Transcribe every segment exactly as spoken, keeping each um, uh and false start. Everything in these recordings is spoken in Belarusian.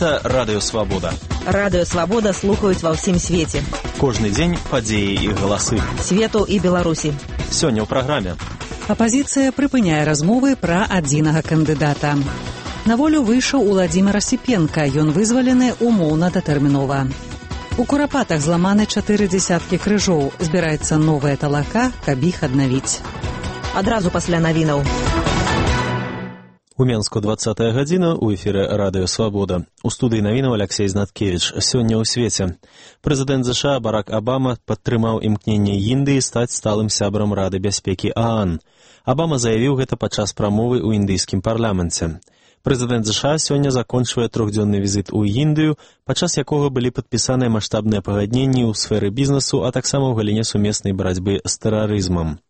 Гэта Радыё Свабода. Радыё Свабода слухаюць ва ўсім свеце. Кожны дзень падзеі і галасы. Свету і Беларусі. Сёння ў праграме. Апазіцыя прыпыняе размовы пра адзінага кандыдата. На волю выйшаў Уладзімір Асіпенка, ён вызвалены умоўна-датэрмінова. У Курапатах зламаны чатыры дзесяткі крыжоў. Збіраецца новая талака, каб іх аднавіць. Адразу пасля навінаў. У Менску двадцатая гадзіна, у эфіры Радыё Свабода. У студыі навінаў Алексей Знаткевіч. Сёння ў свеце. Прэзідэнт ЗША Барак Абама падтрымаў імкненне Індыі стаць сталым сябрам Рады бяспекі ААН. Абама заявіў гэта падчас прамовы ў індыйскім парламенце. Прэзідэнт ЗША сёння закончвае трохдзённы візіт у Індыю, падчас якога былі падпісаныя маштабныя пагадненні ў сферы бізнесу, а таксама ў галіне сумеснай барацьбы з тэрарызмам.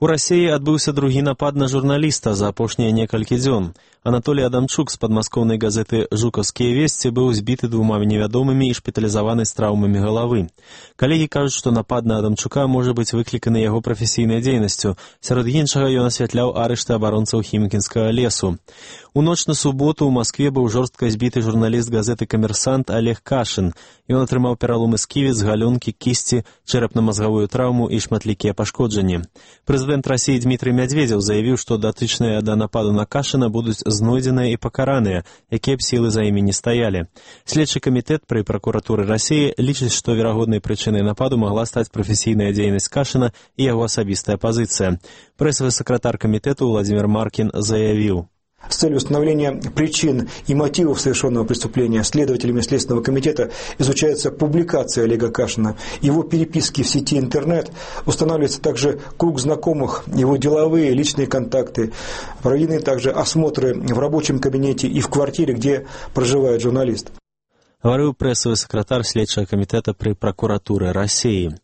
У Расіі адбыўся другі напад на журналіста за апошнія некалькі дзён. Анатолій Адамчук з падмаскоўнай газеты «Жукаўскія весці» быў збіты двума невядомымі і шпіталізаваны з траўмамі галавы. Калегі кажуць, што напад на Адамчука можа быць выкліканы яго прафесійнай дзейнасцю. Сярод іншага ён асвятляў арышты абаронцаў хімкінскага лесу. У ноч на суботу ў Маскве быў жорстка збіты журналіст газеты «Камерсант» Олег Кашын. Ён атрымаў пераломы сківіц, галёнкі, кісці, чэрапна-мазгавую траўму і шматлікія пашкоджанні. Прэзідэнт Расіі Дмітрый Мядзведзеў заявіў, што датычныя да нападу на Кашына будуць знойдзеныя і пакараныя, якія б сілы за імі не стаялі. Следчы камітэт пры пракуратуры Расіі лічыць, што верагоднай прычынай нападу магла стаць прафесійная дзейнасць Кашына і яго асабістая пазіцыя. Прэсавы сакратар камітэту Владимир Маркин заявіў: С целью установления причин и мотивов совершенного преступления следователями Следственного комитета изучается публикация Олега Кашина, его переписки в сети интернет, устанавливается также круг знакомых, его деловые, личные контакты, проведены также осмотры в рабочем кабинете и в квартире, где проживает журналист. Говорил прэсавы сакратар следчага камітэта пры пракуратуры Расіі.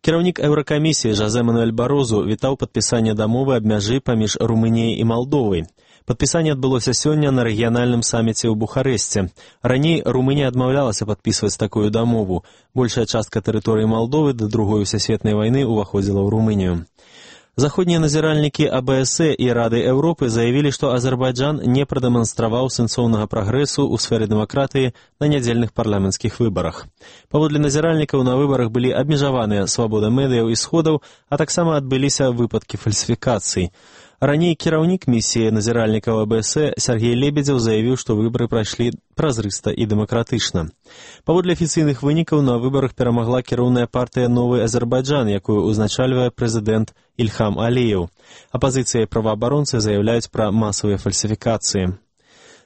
Кіраўнік Еўракамісіі Жозе Мануэль Барозу вітаў падпісанне дамовы аб мяжы паміж Румыніяй і Малдовай. Падпісанне адбылося сёння на рэгіянальным саміце ў Бухарэсце. Раней Румынія адмаўлялася падпісваць такую дамову. Большая частка тэрыторыі Малдовы да другой сусветнай вайны ўваходзіла ў Румынію. Заходнія назіральнікі АБС і Рады Еўропы заявілі, што Азербайджан не прадэманстраваў сэнсоўнага прагрэсу ў сферы дэмакратыі на нядзельных парламенцкіх выбарах. Паводле назіральнікаў на выбарах былі абмежаваныя свабода медыяў і сходаў, а таксама адбыліся выпадкі фальсіфікацый. Раней кіраўнік місіі назіральнікаў АБС Сергей Лебедзеў заявіў, што выбары прайшлі празрыста і дэмакратычна. Паводле афіцыйных вынікаў на выбарах перамагла кіроўная партыя «Новы Азербайджан», якую узначальвае прэзідэнт Ільхам Аліеў. Апазіцыя і праваабаронцы заяўляюць пра масавыя фальсіфікацыі.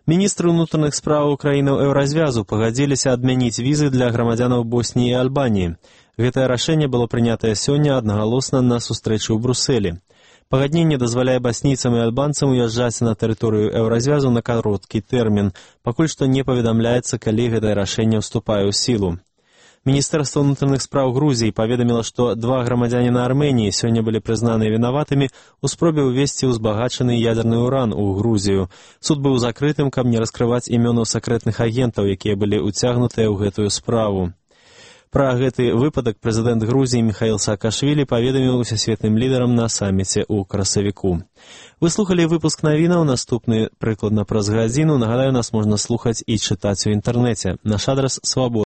Міністры ўнутраных справаў краінаў Еўразвязу пагадзіліся адмяніць візы для грамадзянаў Босніі і Альбаніі. Гэтае рашэнне было прынятае сёння аднагалосна на сустрэчы ў Брусэлі. Пагадненне дазваляе баснійцам і альбанцам уязджаць на тэрыторыю Еўразвязу на кароткі тэрмін, пакуль што не паведамляецца, калі гэтае рашэнне ўступае ў сілу. Міністэрства ўнутраных спраў Грузіі паведаміла, што два грамадзяніна Арменіі сёння былі прызнаныя вінаватымі ў спробе ўвесці ўзбагачаны ядерны ўран у Грузію. Суд быў закрытым, каб не раскрываць імёнаў сакрэтных агентаў, якія былі ўцягнутыя ў гэтую справу. Пра гэты выпадак прэзідэнт Грузіі Міхаіл Саакашвілі паведаміў усесветным лідарам на саміце ў красавіку. Вы слухалі выпуск навінаў, наступны прыкладна праз гадзіну. Нагадаю, нас можна слухаць і чытаць у інтэрнэце. Наш адрас свабода.